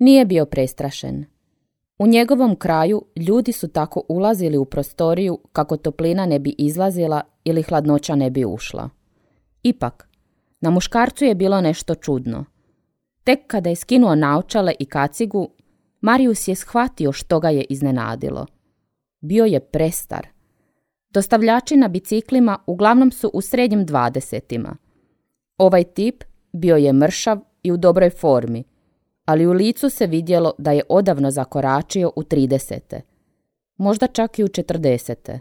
Nije bio prestrašen. U njegovom kraju ljudi su tako ulazili u prostoriju kako toplina ne bi izlazila ili hladnoća ne bi ušla. Ipak, na muškarcu je bilo nešto čudno. Tek kada je skinuo naočale i kacigu, Marius je shvatio što ga je iznenadilo. Bio je prestar. Dostavljači na biciklima uglavnom su u srednjim 20-ima. Ovaj tip bio je mršav i u dobroj formi, ali u licu se vidjelo da je odavno zakoračio u 30. Možda čak i u 40.